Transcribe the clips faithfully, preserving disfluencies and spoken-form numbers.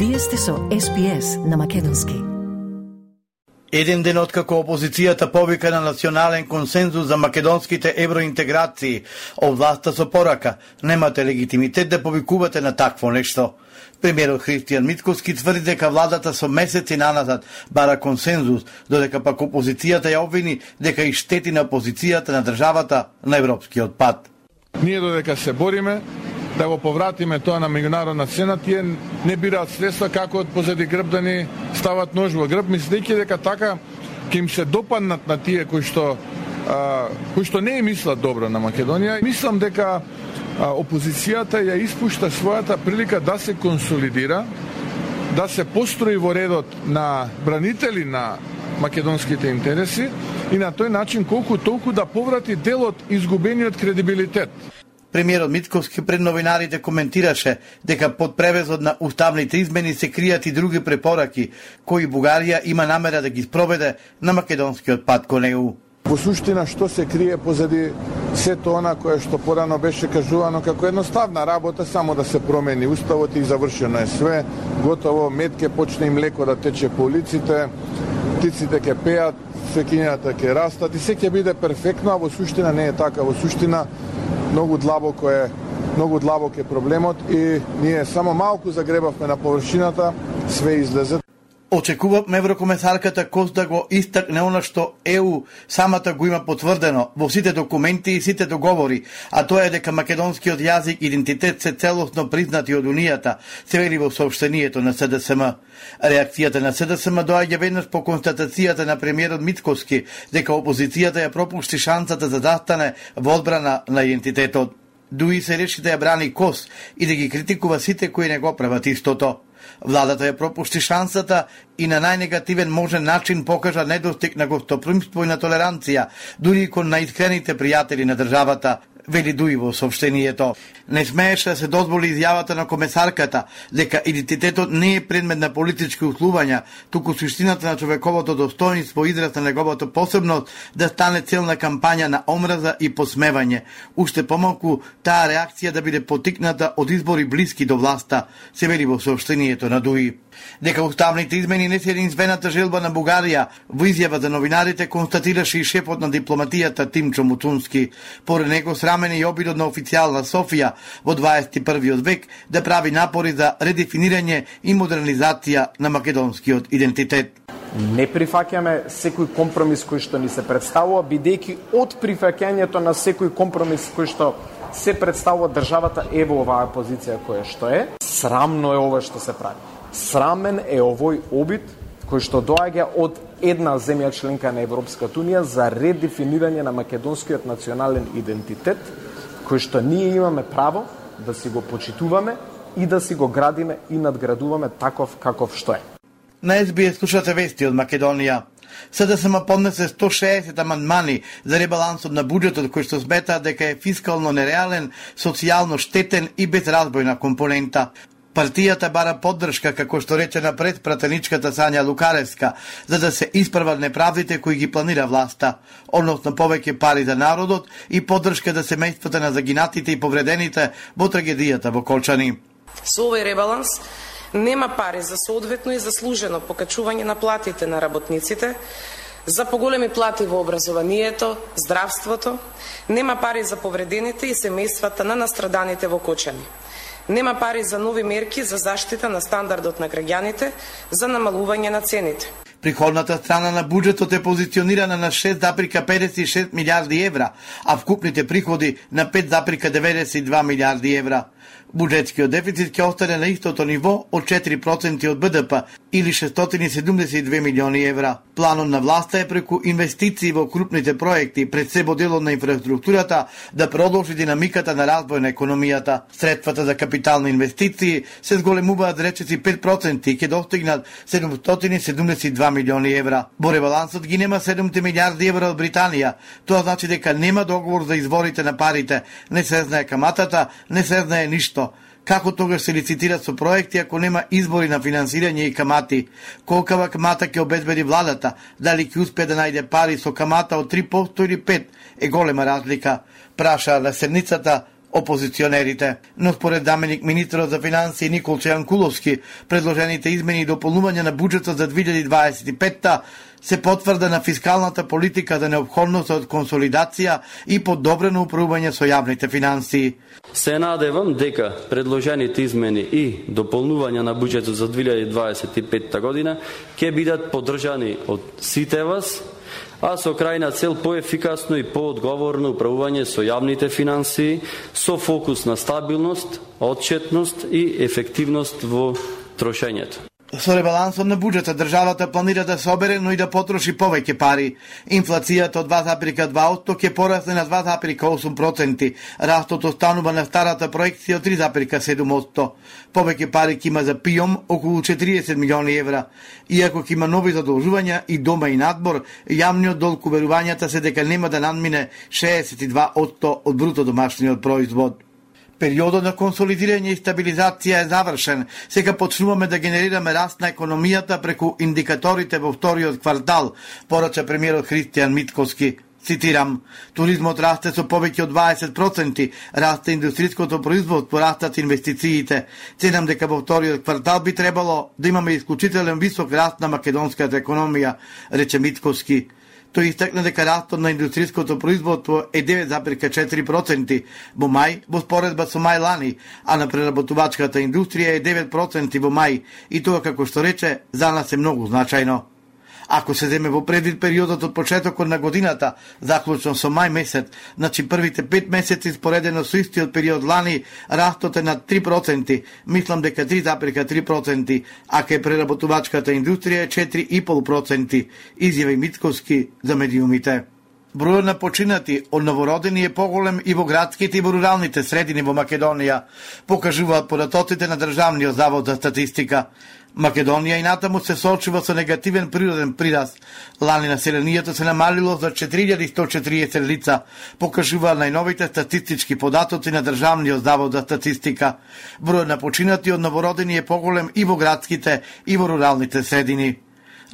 Вие сте со Ес Би Ес на македонски. Еден ден откако опозицијата повика на национален консензус за македонските евроинтеграции, од власта со порака, немате легитимитет да повикувате на такво нешто. Премиерот Христијан Мицкоски тврди дека владата со месеци наназад бара консензус, додека пак опозицијата ја обвини дека и штети на позицијата на државата на европскиот пат. Ние додека се бориме да го повратиме тоа на меѓународна сцена, тие не бираат средства како од позади грб да ни стават нож во грб, мислејќи дека така ќе им се допаднат на тие кои што а, кои што не мислат добро на Македонија. Мислам дека а, опозицијата ја испушта својата прилика да се консолидира, да се построи во редот на бранители на македонските интереси и на тој начин колку толку да поврати дел од изгубениот кредибилитет. Премиерот Мицкоски пред новинарите коментираше дека под превезот на уставните измени се кријат и други препораки кои Бугарија има намера да ги спроведе на македонскиот пат кон Е У. Во суштина што се крие позади сето она кое што порано беше кажувано како едноставна работа, само да се промени уставот и завршено е све, готово, мед ке почне и млеко да тече по улиците, птиците ќе пеат, свекињата ќе растат и се ќе биде перфектно, а во суштина не е така. Во суштина многу длабоко е, многу длабок е проблемот и ние само малку загребавме на површината, све излезе. Очекувавме еврокомесарката Кос да го истакне она што Е У самата го има потврдено во сите документи и сите договори, а тоа е дека македонскиот јазик и идентитет се целосно признати од Унијата, се вели во соопштението на Се Де Се Ем. Реакцијата на Се Де Се Ем доаѓа веднаш по констатацијата на премиерот Мицкоски дека опозицијата ја пропушти шансата да застане во одбрана на идентитетот. Дуи се реши да ја брани Кос и да ги критикува сите кои не го прават истото. Владата ја пропушти шансата и на најнегативен можен начин покажа недостиг на гостопримство и на толеранција, дури и кон најискрените пријатели на државата, вели Дуи во соопштението. Не смееше да се дозволи изјавата на комесарката дека идентитетот не е предмет на политички услувања, туку суштината на човековото достоинство израз на неговата посебност да стане цел на кампања на омраза и посмевање. Уште помалку таа реакција да биде потикната од избори блиски до власта, се вели во соопштението на Дуи. Дека уставните измени не се единствената желба на Бугарија, во изјава за новинарите констатираше и шефот на дипломатијата Тимчо Муцунски. Поред него срамен и обидот на официјална Софија во дваесет и првиот век да прави напори за редефинирање и модернизација на македонскиот идентитет. Не прифаќаме секој компромис кој што ни се представува, бидејќи од прифаќањето на секој компромис кој што се представува државата е во оваа позиција која што е. Срамно е ова што се прави. Срамен е овој обид кој што доаѓа од една земја членка на Европската Унија за редефинирање на македонскиот национален идентитет, кој што ние имаме право да си го почитуваме и да си го градиме и надградуваме таков каков што е. На Ес Би Ес слушате вести од Македонија. Се Де Се Ем поднесе сто шеесет амандмани за ребалансот на буџетот кој што сметаат дека е фискално нереален, социјално штетен и безразбојна компонента. Партијата бара поддршка, како што рече на предпратеничката Сања Лукаревска, за да се исправат неправдите кои ги планира власта, односно повеќе пари за народот и поддршка за семејствата на загинатите и повредените во трагедијата во Колчани. Со овој ребаланс нема пари за соодветно и заслужено покачување на платите на работниците, за поголеми плати во образованието, здравството, нема пари за повредените и семејствата на настраданите во Кочани. Нема пари за нови мерки за заштита на стандардот на граѓаните, за намалување на цените. Приходната страна на буџетот е позиционирана на шест запирка педесет и шест милијарди евра, а вкупните приходи на пет запирка деветдесет и два милијарди евра. Буџетскиот дефицит ќе остане на истото ниво од четири проценти од Б Д П или шестстотини и седумдесет и две милиони евра. Планот на власта е преку инвестиции во крупните проекти, пред се во делот на инфраструктурата, да продолжи динамиката на развој на економијата. Средствата за капитални инвестиции се зголемуваат речиси пет проценти и ќе достигнат седумстотини и седумдесет и два милиони евра. Во ребалансот ги нема седумте милијарди евра од Британија. Тоа значи дека нема договор за изворите на парите, не се знае каматата, не се знае ништо. Како тогаш се лицитира со проекти ако нема избори на финансирање и камати? Колкава камата ќе обезбеди владата? Дали ќе успее да најде пари со камата од три проценти или пет проценти? Е голема разлика, праша на седницата опозиционерите. Но според заменик министерот за финансии Николче Јанкуловски, предложените измени и дополнувања на буџетот за две илјади дваесет и петта се потврда на фискалната политика за необходност од консолидација и подобрено управување со јавните финансии. Се надевам дека предложените измени и дополнувања на буџетот за две илјади дваесет и петта година ќе бидат поддржани од сите вас, а со крајна цел поефикасно и поодговорно управување со јавните финансии, со фокус на стабилност, отчетност и ефективност во трошењето. Со ребалансот на буџетот државата планира да собере, но и да потроши повеќе пари. Инфлацијата од два запирка два одсто ќе порасне на два запирка осум проценти. Растот останува на старата проекција од три запирка седум одсто. Повеќе пари ќе има за ПИОМ, околу четириесет милиони евра. Иако ќе има нови задолжувања и дома и надбор, јавниот долг уверувањата се дека нема да надмине шеесет и два одсто од бруто домашниот производ. Периодот на консолидирање и стабилизација е завршен. Сега почнуваме да генерираме раст на економијата преку индикаторите во вториот квартал, порача премиерот Христијан Митковски. Цитирам: туризмот расте со повеќе од дваесет проценти, расте индустриското производство, растат инвестициите. Ценам дека во вториот квартал би требало да имаме исклучителен висок раст на македонската економија, рече Митковски. Тој истакна дека растот на индустриското производство е девет запирка четири проценти во мај во споредба со мај лани, а на преработувачката индустрија е девет проценти во мај, и тоа, како што рече, за нас е многу значајно. Ако се земе во предвид периодот од почетокот на годината, заклучно со мај месец, значи првите пет месеци споредено со истиот период лани, растот е на три проценти, мислам дека три запирка три проценти, а кај преработувачката индустрија е четири и пол проценти, изјави Митковски за медиумите. Бројот на починати од новородени е поголем и во градските и во руралните средини во Македонија, покажуваат податоците на Државниот завод за статистика. Македонија и натаму се соочува со негативен природен прираст. Лани населението се намалило за четири илјади сто четириесет лица, покажуваат најновите статистички податоци на Државниот завод за статистика. Бројот на починати од новородени е поголем и во градските и во руралните средини.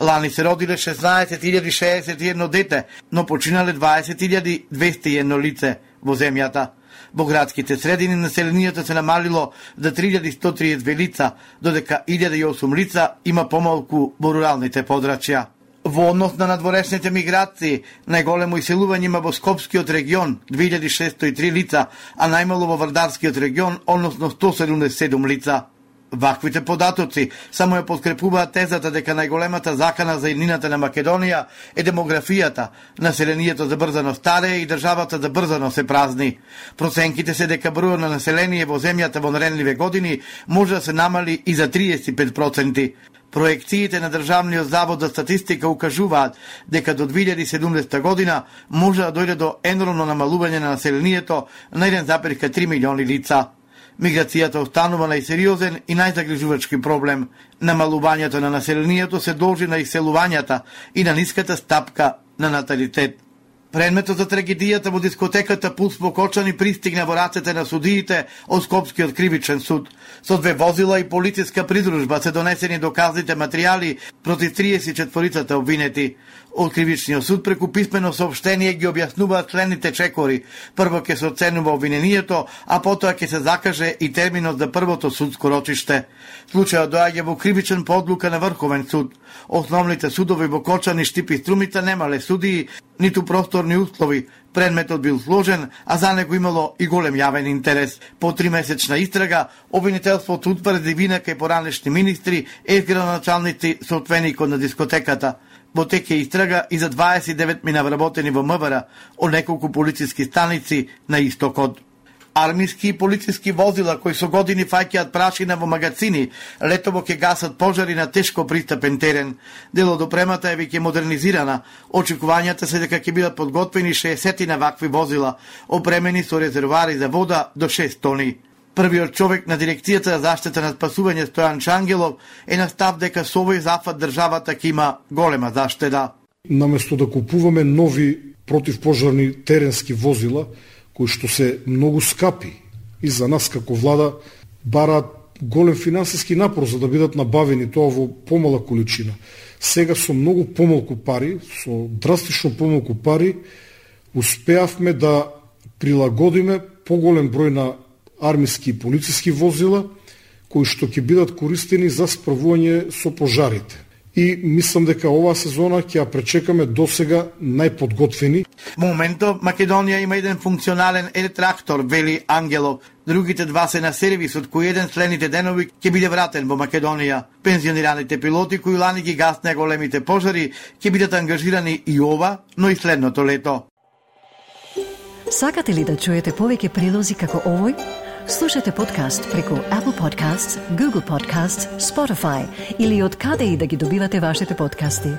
Лани се родиле шеснаесет илјади шеесет и едно дете, но починале дваесет илјади двесте и едно лице во земјата. Во градските средини населението се намалило за три илјади сто триесет две лица, додека илјада и осум лица има помалку во руралните подрачја. Во однос на надворешните миграции, најголемо иселување има во Скопскиот регион, две илјади шестsto и три лица, а најмало во Вардарскиот регион, односно сто седумдесет и седум лица. Ваквите податоци само ја подкрепуваат тезата дека најголемата закана за иднината на Македонија е демографијата, населението забрзано старее и државата забрзано се празни. Проценките се дека бројот на население во земјата во наредниве години може да се намали и за триесет и пет проценти. Проекциите на Државниот завод за статистика укажуваат дека до две илјади и седумдесета година може да дојде до енормно намалување на населението на еден запирка три милиони лица. Миграцијата останува најсериозен и најзагрижувачки проблем. Намалувањето на населението се должи на иселувањата и на ниската стапка на наталитет. Предметот за трагедијата во дискотеката Пулс во Кочани пристигна во рацете на судиите од Скопскиот кривичен суд. Со две возила и полициска придружба се донесени доказните материјали против триесет и четворицата обвинети. Од кривичниот суд преку писмено соопштение ги објаснуваат следните чекори. Прво ќе се оценува обвинението, а потоа ќе се закаже и терминот за првото судско рочиште. Случајот доаѓа во кривичен по одлука на Врховен суд. Основните судови во Кочани, Штип и Струмица немале судии, ниту просторни услови. Предметот бил сложен, а за него имало и голем јавен интерес. По тримесечна истрага, обвинителството утврди вина кај поранешни министри и градоначалници со отвеникот на дискотеката. Во теке истрага и за дваесет и девет мина вработени во МВР од неколку полициски станици на истокот. Армиски и полициски возила кои со години фаќаат прашина во магазини, летово ќе гасат пожари на тешко пристапен терен. Дел од опремата е веќе модернизирана. Очекувањата се дека ќе бидат подготвени шеесет на вакви возила, опремени со резервоари за вода до шест тони. Првиот човек на дирекцијата за заштита на спасување Стојан Чангелов е на став дека со овој зафат државата ќе има голема заштеда. Наместо да купуваме нови противпожарни теренски возила, кои што се многу скапи и за нас како влада бараат голем финансиски напор за да бидат набавени тоа во помала количина. Сега со многу помалку пари, со драстично помалку пари, успеавме да прилагодиме поголем број на армиски и полициски возила кои што ќе бидат користени за справување со пожарите. И мислам дека оваа сезона ќе ја пречекаме досега најподготвени. Моментов Македонија има еден функционален е-трактор, вели Ангелов. Другите два се на сервис, од кои еден следните денови ќе биде вратен во Македонија. Пензионираните пилоти кои лани ги гаснеа големите пожари ќе бидат ангажирани и ова, но и следното лето. Сакате ли да чуете повеќе прилози како овој? Слушате подкаст преку Apple Podcasts, Google Podcasts, Spotify или од каде и да ги добивате вашите подкасти.